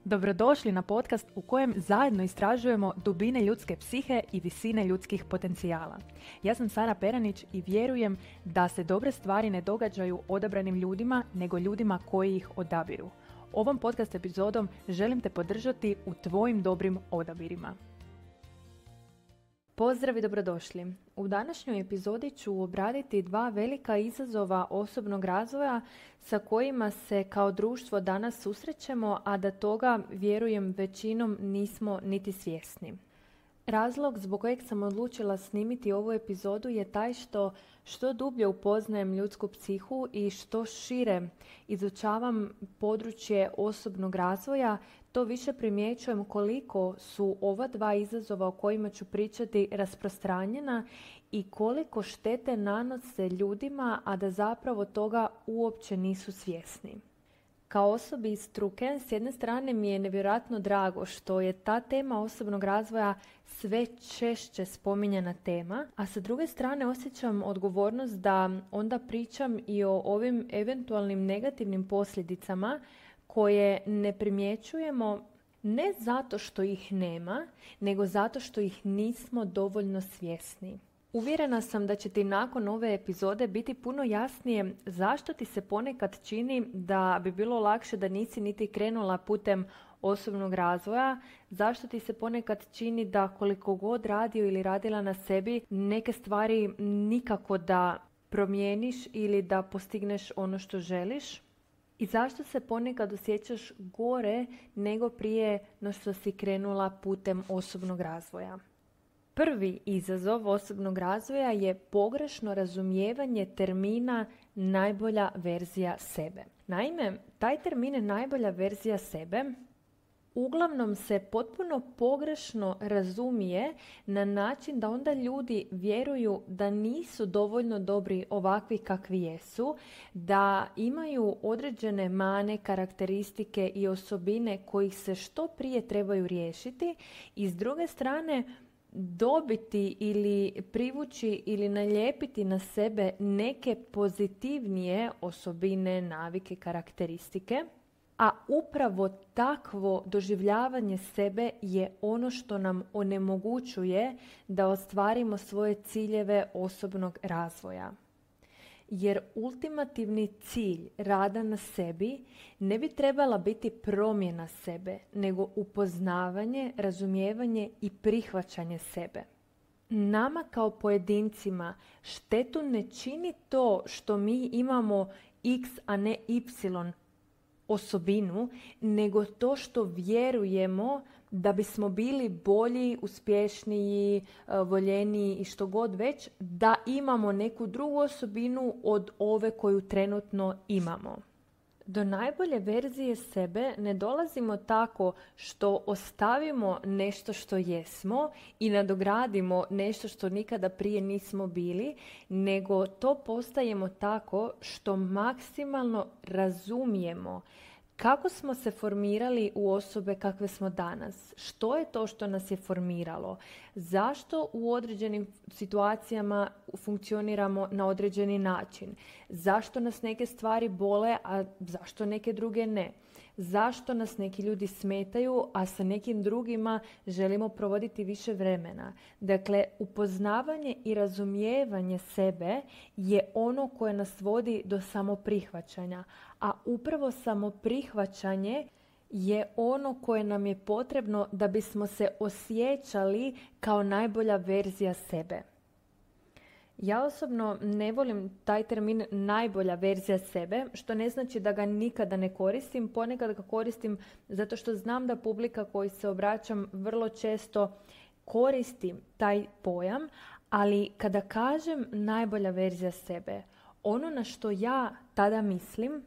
Dobrodošli na podcast u kojem zajedno istražujemo dubine ljudske psihe i visine ljudskih potencijala. Ja sam Sara Peranić i vjerujem da se dobre stvari ne događaju odabranim ljudima, nego ljudima koji ih odabiru. Ovom podcast epizodom želim te podržati u tvojim dobrim odabirima. Pozdrav i dobrodošli. U današnjoj epizodi ću obraditi dva velika izazova osobnog razvoja sa kojima se kao društvo danas susrećemo, a da toga, vjerujem, većinom nismo niti svjesni. Razlog zbog kojeg sam odlučila snimiti ovu epizodu je taj što dublje upoznajem ljudsku psihu i što šire izučavam područje osobnog razvoja, to više primjećujem koliko su ova dva izazova o kojima ću pričati rasprostranjena i koliko štete nanose ljudima, a da zapravo toga uopće nisu svjesni. Kao osobi iz struke, s jedne strane mi je nevjerojatno drago što je ta tema osobnog razvoja sve češće spominjana tema, a sa druge strane osjećam odgovornost da onda pričam i o ovim eventualnim negativnim posljedicama koje ne primjećujemo ne zato što ih nema, nego zato što ih nismo dovoljno svjesni. Uvjerena sam da će ti nakon ove epizode biti puno jasnije zašto ti se ponekad čini da bi bilo lakše da nisi niti krenula putem osobnog razvoja, zašto ti se ponekad čini da koliko god radio ili radila na sebi, neke stvari nikako da promijeniš ili da postigneš ono što želiš. I zašto se ponekad osjećaš gore nego prije no što si krenula putem osobnog razvoja. Prvi izazov osobnog razvoja je pogrešno razumijevanje termina najbolja verzija sebe. Naime, taj termin najbolja verzija sebe uglavnom se potpuno pogrešno razumije na način da onda ljudi vjeruju da nisu dovoljno dobri ovakvi kakvi jesu, da imaju određene mane, karakteristike i osobine kojih se što prije trebaju riješiti i s druge strane dobiti ili privući ili nalijepiti na sebe neke pozitivnije osobine, navike, karakteristike. A upravo takvo doživljavanje sebe je ono što nam onemogućuje da ostvarimo svoje ciljeve osobnog razvoja. Jer ultimativni cilj rada na sebi ne bi trebala biti promjena sebe, nego upoznavanje, razumijevanje i prihvaćanje sebe. Nama kao pojedincima štetu ne čini to što mi imamo X, a ne Y osobinu, nego to što vjerujemo da bismo bili bolji, uspješniji, voljeniji i što god već, da imamo neku drugu osobinu od ove koju trenutno imamo. Do najbolje verzije sebe ne dolazimo tako što ostavimo nešto što jesmo i nadogradimo nešto što nikada prije nismo bili, nego to postajemo tako što maksimalno razumijemo kako smo se formirali u osobe kakve smo danas? Što je to što nas je formiralo? Zašto u određenim situacijama funkcioniramo na određeni način? Zašto nas neke stvari bole, a zašto neke druge ne? Zašto nas neki ljudi smetaju, a sa nekim drugima želimo provoditi više vremena? Dakle, upoznavanje i razumijevanje sebe je ono koje nas vodi do samoprihvaćanja, a upravo samoprihvaćanje je ono koje nam je potrebno da bismo se osjećali kao najbolja verzija sebe. Ja osobno ne volim taj termin najbolja verzija sebe, što ne znači da ga nikada ne koristim. Ponekad ga koristim zato što znam da publika koji se obraćam vrlo često koristi taj pojam, ali kada kažem najbolja verzija sebe, ono na što ja tada mislim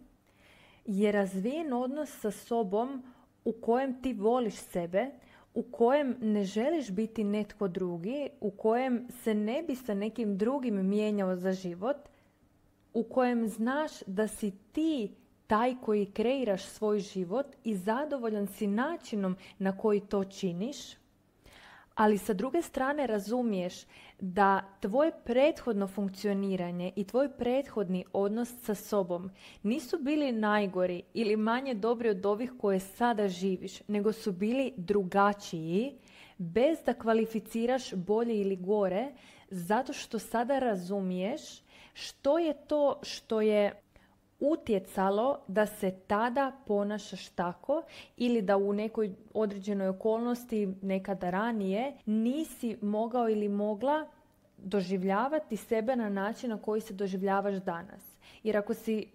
je razvijen odnos sa sobom u kojem ti voliš sebe, u kojem ne želiš biti netko drugi, u kojem se ne bi sa nekim drugim mijenjao za život, u kojem znaš da si ti taj koji kreiraš svoj život i zadovoljan si načinom na koji to činiš, Ali sa druge strane razumiješ da tvoje prethodno funkcioniranje i tvoj prethodni odnos sa sobom nisu bili najgori ili manje dobri od ovih koje sada živiš, nego su bili drugačiji, bez da kvalificiraš bolje ili gore, zato što sada razumiješ što je to što je utjecalo da se tada ponašaš tako ili da u nekoj određenoj okolnosti nekada ranije nisi mogao ili mogla doživljavati sebe na način na koji se doživljavaš danas. Jer ako si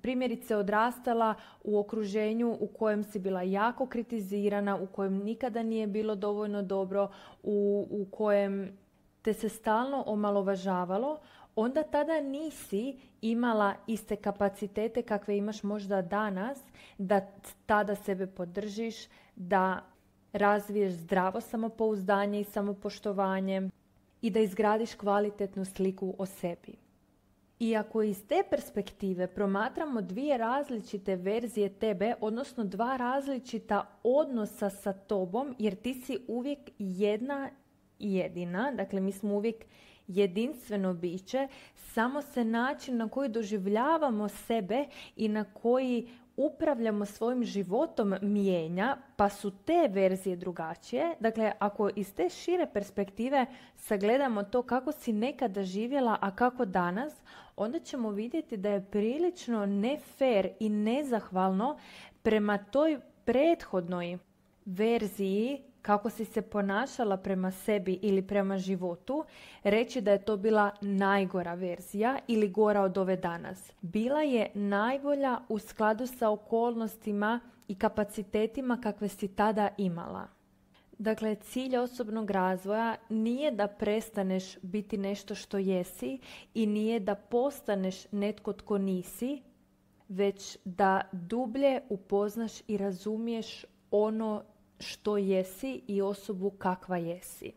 primjerice odrastala u okruženju u kojem si bila jako kritizirana, u kojem nikada nije bilo dovoljno dobro, u kojem te se stalno omalovažavalo, onda tada nisi imala iste kapacitete kakve imaš možda danas, da tada sebe podržiš, da razviješ zdravo samopouzdanje i samopoštovanje i da izgradiš kvalitetnu sliku o sebi. I ako iz te perspektive promatramo dvije različite verzije tebe, odnosno dva različita odnosa sa tobom, jer ti si uvijek jedna i jedina, dakle mi smo uvijek jedinstveno biće, samo se način na koji doživljavamo sebe i na koji upravljamo svojim životom mijenja, pa su te verzije drugačije. Dakle, ako iz te šire perspektive sagledamo to kako si nekada živjela, a kako danas, onda ćemo vidjeti da je prilično ne fair i nezahvalno prema toj prethodnoj verziji kako si se ponašala prema sebi ili prema životu, reći da je to bila najgora verzija ili gora od ove danas. Bila je najbolja u skladu sa okolnostima i kapacitetima kakve si tada imala. Dakle, cilj osobnog razvoja nije da prestaneš biti nešto što jesi i nije da postaneš netko tko nisi, već da dublje upoznaš i razumiješ ono što jesi i osobu kakva jesi.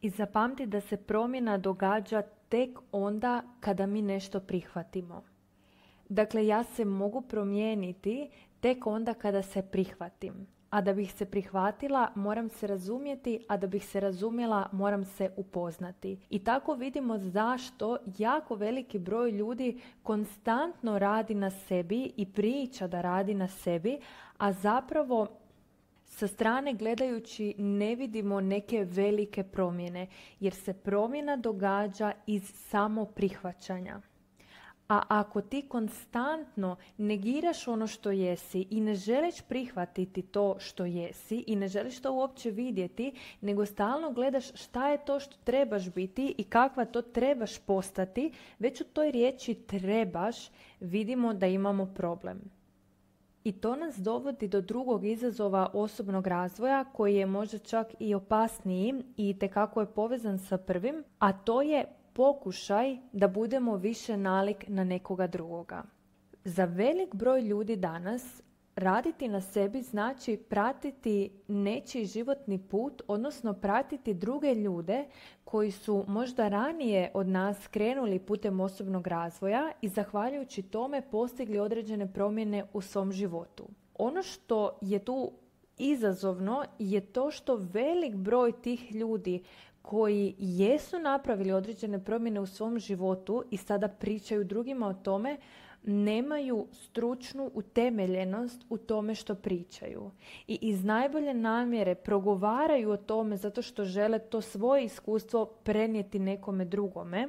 I zapamti da se promjena događa tek onda kada mi nešto prihvatimo. Dakle, ja se mogu promijeniti tek onda kada se prihvatim. A da bih se prihvatila, moram se razumjeti, a da bih se razumjela, moram se upoznati. I tako vidimo zašto jako veliki broj ljudi konstantno radi na sebi i priča da radi na sebi, a zapravo sa strane gledajući ne vidimo neke velike promjene, jer se promjena događa iz samoprihvaćanja. A ako ti konstantno negiraš ono što jesi i ne želiš prihvatiti to što jesi i ne želiš to uopće vidjeti, nego stalno gledaš šta je to što trebaš biti i kakva to trebaš postati, već u toj riječi trebaš vidimo da imamo problem. I to nas dovodi do drugog izazova osobnog razvoja koji je možda čak i opasniji i itekako je povezan sa prvim, a to je pokušaj da budemo više nalik na nekoga drugoga. Za velik broj ljudi danas raditi na sebi znači pratiti nečiji životni put, odnosno pratiti druge ljude koji su možda ranije od nas krenuli putem osobnog razvoja i zahvaljujući tome postigli određene promjene u svom životu. Ono što je tu izazovno je to što velik broj tih ljudi koji jesu napravili određene promjene u svom životu i sada pričaju drugima o tome, nemaju stručnu utemeljenost u tome što pričaju. I iz najbolje namjere progovaraju o tome zato što žele to svoje iskustvo prenijeti nekome drugome,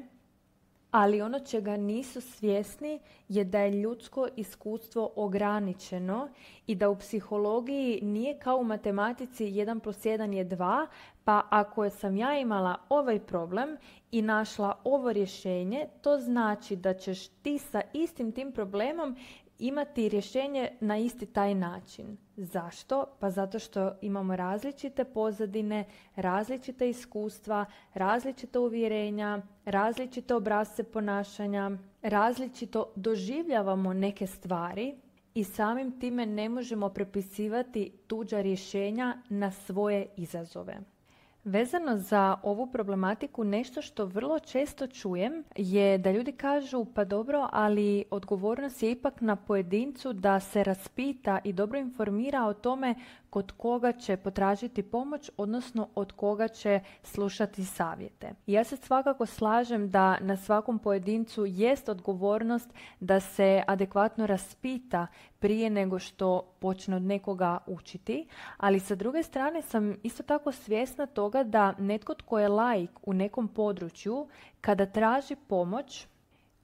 ali ono čega nisu svjesni je da je ljudsko iskustvo ograničeno i da u psihologiji nije kao u matematici 1+1 je 2, pa ako sam ja imala ovaj problem i našla ovo rješenje, to znači da ćeš ti sa istim tim problemom imati rješenje na isti taj način. Zašto? Pa zato što imamo različite pozadine, različite iskustva, različita uvjerenja, različite obrasce ponašanja, različito doživljavamo neke stvari i samim time ne možemo prepisivati tuđa rješenja na svoje izazove. Vezano za ovu problematiku, nešto što vrlo često čujem je da ljudi kažu pa dobro, ali odgovornost je ipak na pojedincu da se raspita i dobro informira o tome kod koga će potražiti pomoć, odnosno od koga će slušati savjete. Ja se svakako slažem da na svakom pojedincu jest odgovornost da se adekvatno raspita prije nego što počne od nekoga učiti, ali sa druge strane sam isto tako svjesna toga da netko tko je laik u nekom području, kada traži pomoć,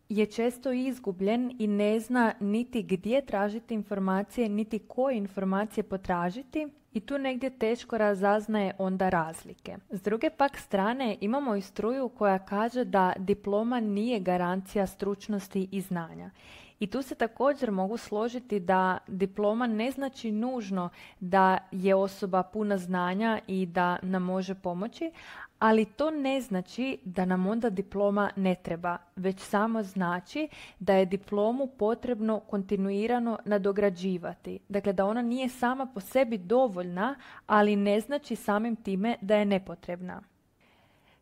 je često izgubljen i ne zna niti gdje tražiti informacije, niti koje informacije potražiti i tu negdje teško razaznaje onda razlike. S druge pak strane imamo i struju koja kaže da diploma nije garancija stručnosti i znanja. I tu se također mogu složiti da diploma ne znači nužno da je osoba puna znanja i da nam može pomoći, ali to ne znači da nam onda diploma ne treba, već samo znači da je diplomu potrebno kontinuirano nadograđivati. Dakle, da ona nije sama po sebi dovoljna, ali ne znači samim time da je nepotrebna.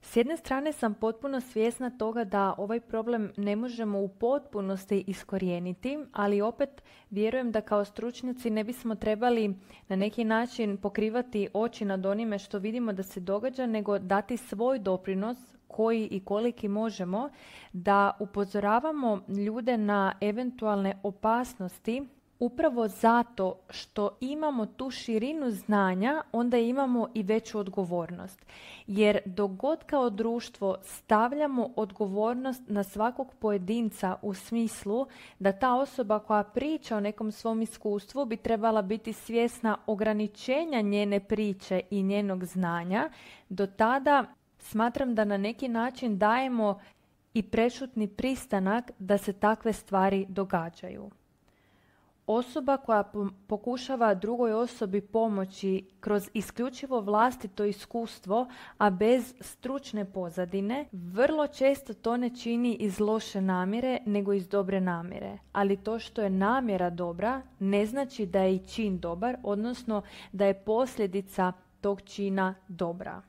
S jedne strane sam potpuno svjesna toga da ovaj problem ne možemo u potpunosti iskorijeniti, ali opet vjerujem da kao stručnjaci ne bismo trebali na neki način pokrivati oči nad onime što vidimo da se događa, nego dati svoj doprinos koji i koliki možemo da upozoravamo ljude na eventualne opasnosti. Upravo zato što imamo tu širinu znanja, onda imamo i veću odgovornost. Jer dok god kao društvo stavljamo odgovornost na svakog pojedinca u smislu da ta osoba koja priča o nekom svom iskustvu bi trebala biti svjesna ograničenja njene priče i njenog znanja, do tada smatram da na neki način dajemo i prešutni pristanak da se takve stvari događaju. Osoba koja pokušava drugoj osobi pomoći kroz isključivo vlastito iskustvo, a bez stručne pozadine, vrlo često to ne čini iz loše namjere, nego iz dobre namjere. Ali to što je namjera dobra, ne znači da je i čin dobar, odnosno da je posljedica tog čina dobra.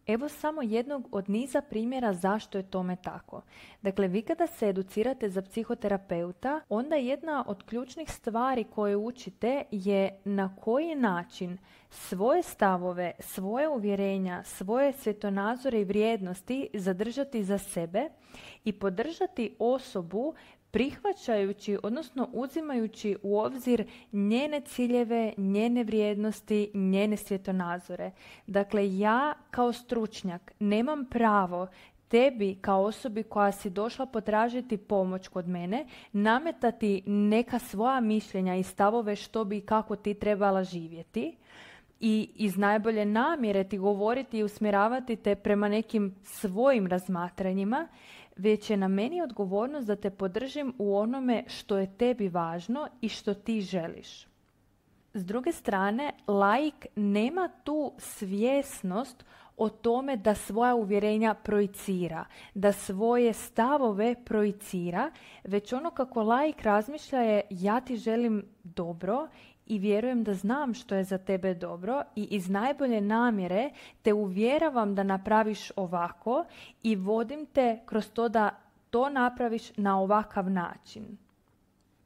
Evo samo jednog od niza primjera zašto je tome tako. Dakle, vi kada se educirate za psihoterapeuta, onda jedna od ključnih stvari koje učite je na koji način svoje stavove, svoje uvjerenja, svoje svjetonazore i vrijednosti zadržati za sebe i podržati osobu prihvaćajući, odnosno uzimajući u obzir njene ciljeve, njene vrijednosti, njene svjetonazore. Dakle, ja kao stručnjak nemam pravo tebi kao osobi koja si došla potražiti pomoć kod mene, nametati neka svoja mišljenja i stavove što bi i kako ti trebala živjeti i iz najbolje namjere ti govoriti i usmjeravati te prema nekim svojim razmatranjima, već je na meni odgovornost da te podržim u onome što je tebi važno i što ti želiš. S druge strane, laik nema tu svjesnost o tome da svoja uvjerenja projicira, da svoje stavove projicira, već ono kako laik razmišlja je ja ti želim dobro i vjerujem da znam što je za tebe dobro i iz najbolje namjere te uvjeravam da napraviš ovako i vodim te kroz to da to napraviš na ovakav način.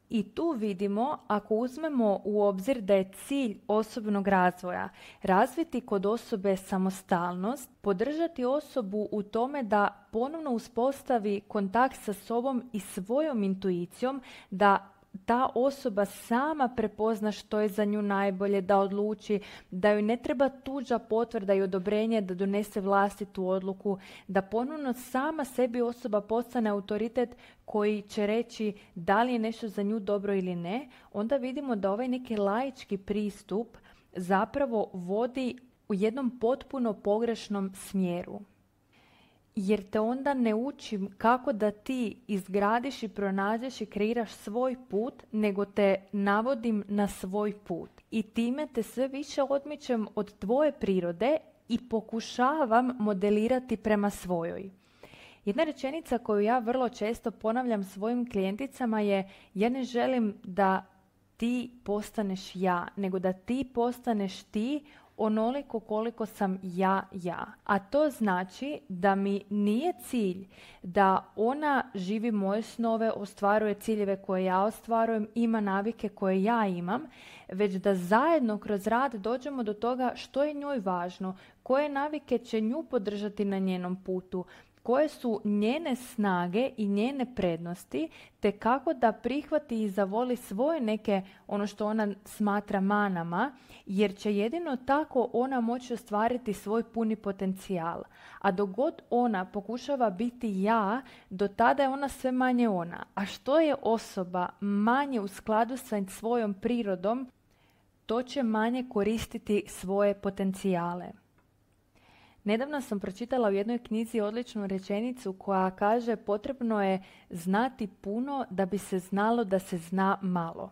I tu vidimo, ako uzmemo u obzir da je cilj osobnog razvoja razviti kod osobe samostalnost, podržati osobu u tome da ponovno uspostavi kontakt sa sobom i svojom intuicijom, da ta osoba sama prepozna što je za nju najbolje, da odluči, da joj ne treba tuđa potvrda i odobrenje da donese vlastitu odluku, da ponovno sama sebi osoba postane autoritet koji će reći da li je nešto za nju dobro ili ne, onda vidimo da ovaj neki laički pristup zapravo vodi u jednom potpuno pogrešnom smjeru. Jer te onda ne učim kako da ti izgradiš i pronađeš i kreiraš svoj put, nego te navodim na svoj put. I time te sve više odmičem od tvoje prirode i pokušavam modelirati prema svojoj. Jedna rečenica koju ja vrlo često ponavljam svojim klijenticama je: ja ne želim da ti postaneš ja, nego da ti postaneš ti onoliko koliko sam ja. A to znači da mi nije cilj da ona živi moje snove, ostvaruje ciljeve koje ja ostvarujem, ima navike koje ja imam, već da zajedno kroz rad dođemo do toga što je njoj važno, koje navike će nju podržati na njenom putu, koje su njene snage i njene prednosti, te kako da prihvati i zavoli svoje neke, ono što ona smatra manama, jer će jedino tako ona moći ostvariti svoj puni potencijal. A dok god ona pokušava biti ja, do tada je ona sve manje ona. A što je osoba manje u skladu sa svojom prirodom, to će manje koristiti svoje potencijale. Nedavno sam pročitala u jednoj knjizi odličnu rečenicu koja kaže potrebno je znati puno da bi se znalo da se zna malo.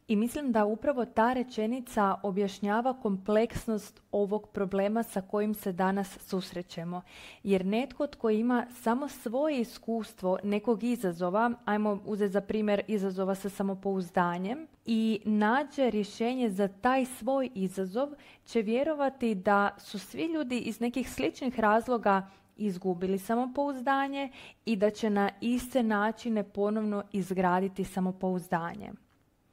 I mislim da upravo ta rečenica objašnjava kompleksnost ovog problema sa kojim se danas susrećemo. Jer netko tko ima samo svoje iskustvo nekog izazova, ajmo uzeti za primjer izazova sa samopouzdanjem, i nađe rješenje za taj svoj izazov, će vjerovati da su svi ljudi iz nekih sličnih razloga izgubili samopouzdanje i da će na iste načine ponovno izgraditi samopouzdanje.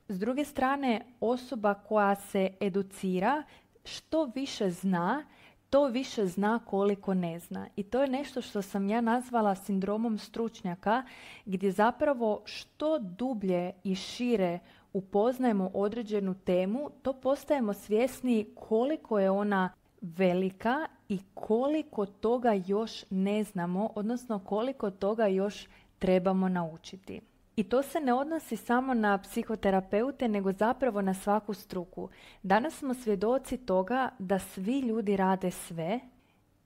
S druge strane, osoba koja se educira, što više zna, to više zna koliko ne zna. I to je nešto što sam ja nazvala sindromom stručnjaka, gdje zapravo što dublje i šire upoznajemo određenu temu, to postajemo svjesni koliko je ona velika i koliko toga još ne znamo, odnosno koliko toga još trebamo naučiti. I to se ne odnosi samo na psihoterapeute, nego zapravo na svaku struku. Danas smo svjedoci toga da svi ljudi rade sve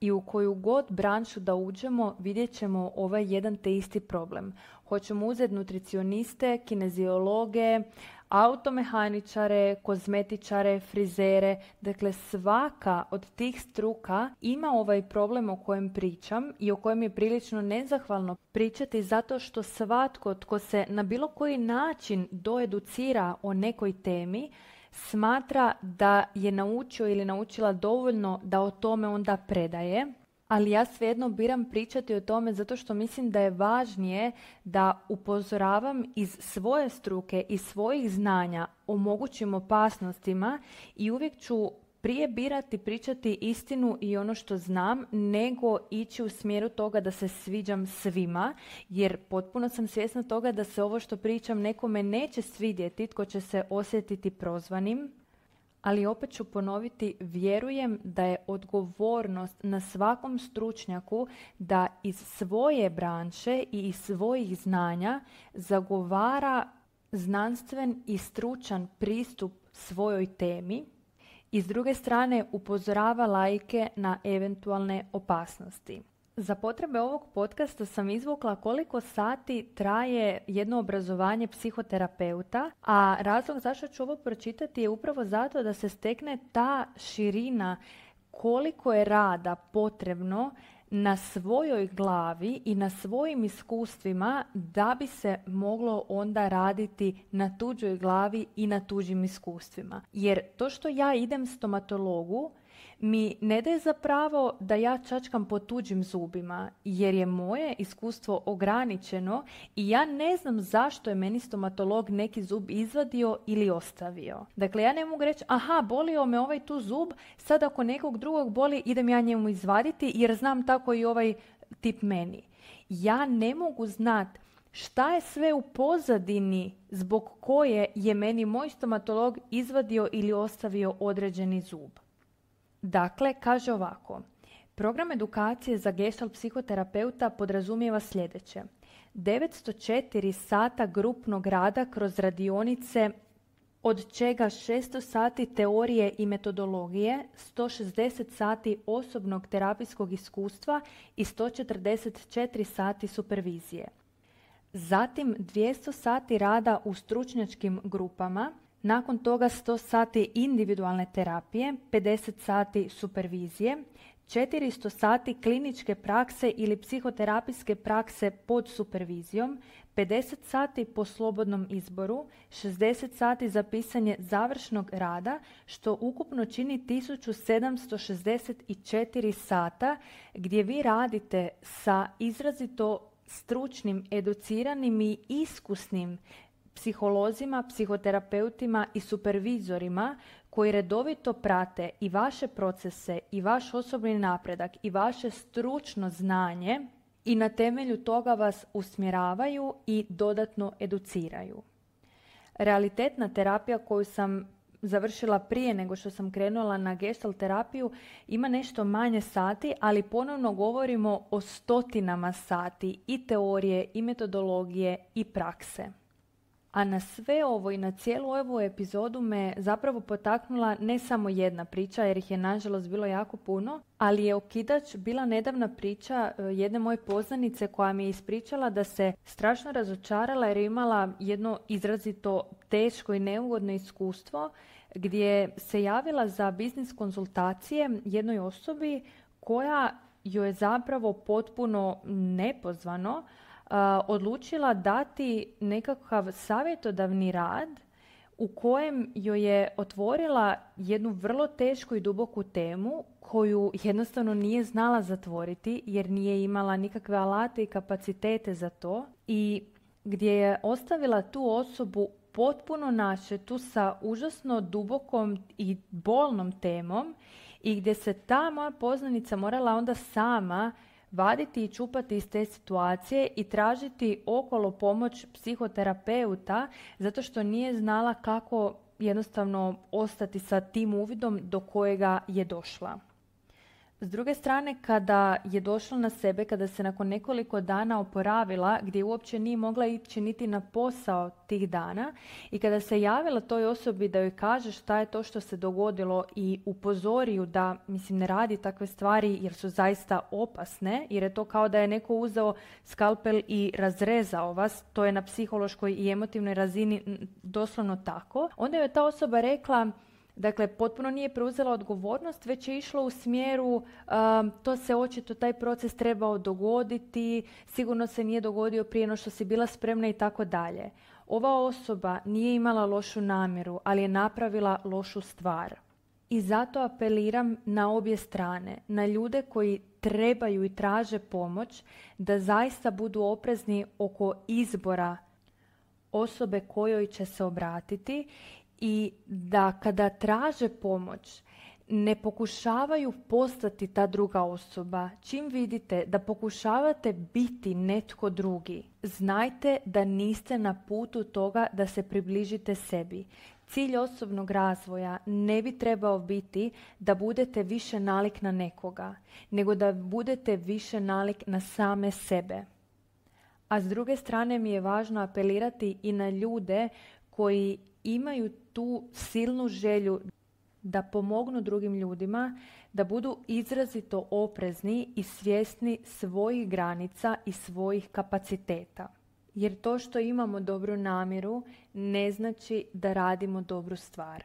i u koju god branšu da uđemo vidjet ćemo ovaj jedan te isti problem. Hoćemo uzeti nutricioniste, kineziologe, automehaničare, kozmetičare, frizere. Dakle, svaka od tih struka ima ovaj problem o kojem pričam i o kojem je prilično nezahvalno pričati, zato što svatko tko se na bilo koji način doeducira o nekoj temi smatra da je naučio ili naučila dovoljno da o tome onda predaje. Ali ja svejedno biram pričati o tome zato što mislim da je važnije da upozoravam iz svoje struke i svojih znanja o mogućim opasnostima i uvijek ću prije birati pričati istinu i ono što znam, nego ići u smjeru toga da se sviđam svima, jer potpuno sam svjesna toga da se ovo što pričam nekome neće svidjeti, tko će se osjetiti prozvanim. Ali opet ću ponoviti, vjerujem da je odgovornost na svakom stručnjaku da iz svoje branše i iz svojih znanja zagovara znanstven i stručan pristup svojoj temi i s druge strane upozorava laike na eventualne opasnosti. Za potrebe ovog podcasta sam izvukla koliko sati traje jedno obrazovanje psihoterapeuta, a razlog zašto ću ovo pročitati je upravo zato da se stekne ta širina koliko je rada potrebno na svojoj glavi i na svojim iskustvima da bi se moglo onda raditi na tuđoj glavi i na tuđim iskustvima. Jer to što ja idem stomatologu mi ne daje za pravo da ja čačkam po tuđim zubima, jer je moje iskustvo ograničeno i ja ne znam zašto je meni stomatolog neki zub izvadio ili ostavio. Dakle, ja ne mogu reći, aha, bolio me ovaj tu zub, sad ako nekog drugog boli, idem ja njemu izvaditi jer znam tako i ovaj tip meni. Ja ne mogu znati šta je sve u pozadini zbog koje je meni moj stomatolog izvadio ili ostavio određeni zub. Dakle, kaže ovako, program edukacije za gestalt psihoterapeuta podrazumijeva sljedeće. 904 sata grupnog rada kroz radionice, od čega 600 sati teorije i metodologije, 160 sati osobnog terapijskog iskustva i 144 sati supervizije. Zatim 200 sati rada u stručnjačkim grupama, nakon toga 100 sati individualne terapije, 50 sati supervizije, 400 sati kliničke prakse ili psihoterapijske prakse pod supervizijom, 50 sati po slobodnom izboru, 60 sati za pisanje završnog rada, što ukupno čini 1764 sata gdje vi radite sa izrazito stručnim, educiranim i iskusnim psiholozima, psihoterapeutima i supervizorima koji redovito prate i vaše procese i vaš osobni napredak i vaše stručno znanje i na temelju toga vas usmjeravaju i dodatno educiraju. Realitetna terapija koju sam završila prije nego što sam krenula na gestalt terapiju ima nešto manje sati, ali ponovno govorimo o stotinama sati i teorije i metodologije i prakse. A na sve ovo i na cijelu ovu epizodu me zapravo potaknula ne samo jedna priča, jer ih je nažalost bilo jako puno, ali je okidač bila nedavna priča jedne moje poznanice koja mi je ispričala da se strašno razočarala jer je imala jedno izrazito teško i neugodno iskustvo gdje se javila za biznis konzultacije jednoj osobi koja joj je zapravo potpuno nepozvano odlučila dati nekakav savjetodavni rad u kojem joj je otvorila jednu vrlo tešku i duboku temu koju jednostavno nije znala zatvoriti jer nije imala nikakve alate i kapacitete za to i gdje je ostavila tu osobu potpuno načetu sa užasno dubokom i bolnom temom i gdje se ta moja poznanica morala onda sama vaditi i čupati iz te situacije i tražiti okolo pomoć psihoterapeuta zato što nije znala kako jednostavno ostati sa tim uvidom do kojega je došla. S druge strane, kada je došla na sebe, kada se nakon nekoliko dana oporavila, gdje uopće nije mogla ići niti na posao tih dana i kada se javila toj osobi da joj kaže šta je to što se dogodilo i upozori ju da, ne radi takve stvari jer su zaista opasne, jer je to kao da je neko uzeo skalpel i razrezao vas, to je na psihološkoj i emotivnoj razini doslovno tako, onda joj je ta osoba rekla, dakle, potpuno nije preuzela odgovornost, već je išlo u smjeru to se očito, taj proces trebao dogoditi, sigurno se nije dogodio prije no što si bila spremna i tako dalje. Ova osoba nije imala lošu namjeru, ali je napravila lošu stvar. I zato apeliram na obje strane, na ljude koji trebaju i traže pomoć, da zaista budu oprezni oko izbora osobe kojoj će se obratiti i da kada traže pomoć ne pokušavaju postati ta druga osoba. Čim vidite da pokušavate biti netko drugi, znajte da niste na putu toga da se približite sebi. Cilj osobnog razvoja ne bi trebao biti da budete više nalik na nekoga, nego da budete više nalik na same sebe. A s druge strane mi je važno apelirati i na ljude koji imaju tu silnu želju da pomognu drugim ljudima, da budu izrazito oprezni i svjesni svojih granica i svojih kapaciteta. Jer to što imamo dobru namjeru ne znači da radimo dobru stvar.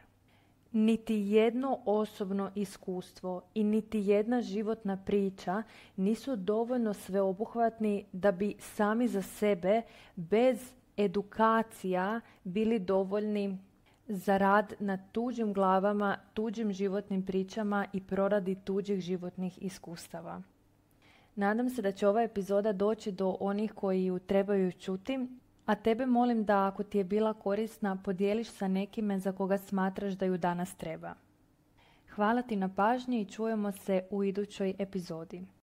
Niti jedno osobno iskustvo i niti jedna životna priča nisu dovoljno sveobuhvatni da bi sami za sebe bez edukacija bili dovoljni za rad na tuđim glavama, tuđim životnim pričama i proradi tuđih životnih iskustava. Nadam se da će ova epizoda doći do onih koji ju trebaju čuti, a tebe molim da ako ti je bila korisna podijeliš sa nekime za koga smatraš da ju danas treba. Hvala ti na pažnji i čujemo se u idućoj epizodi.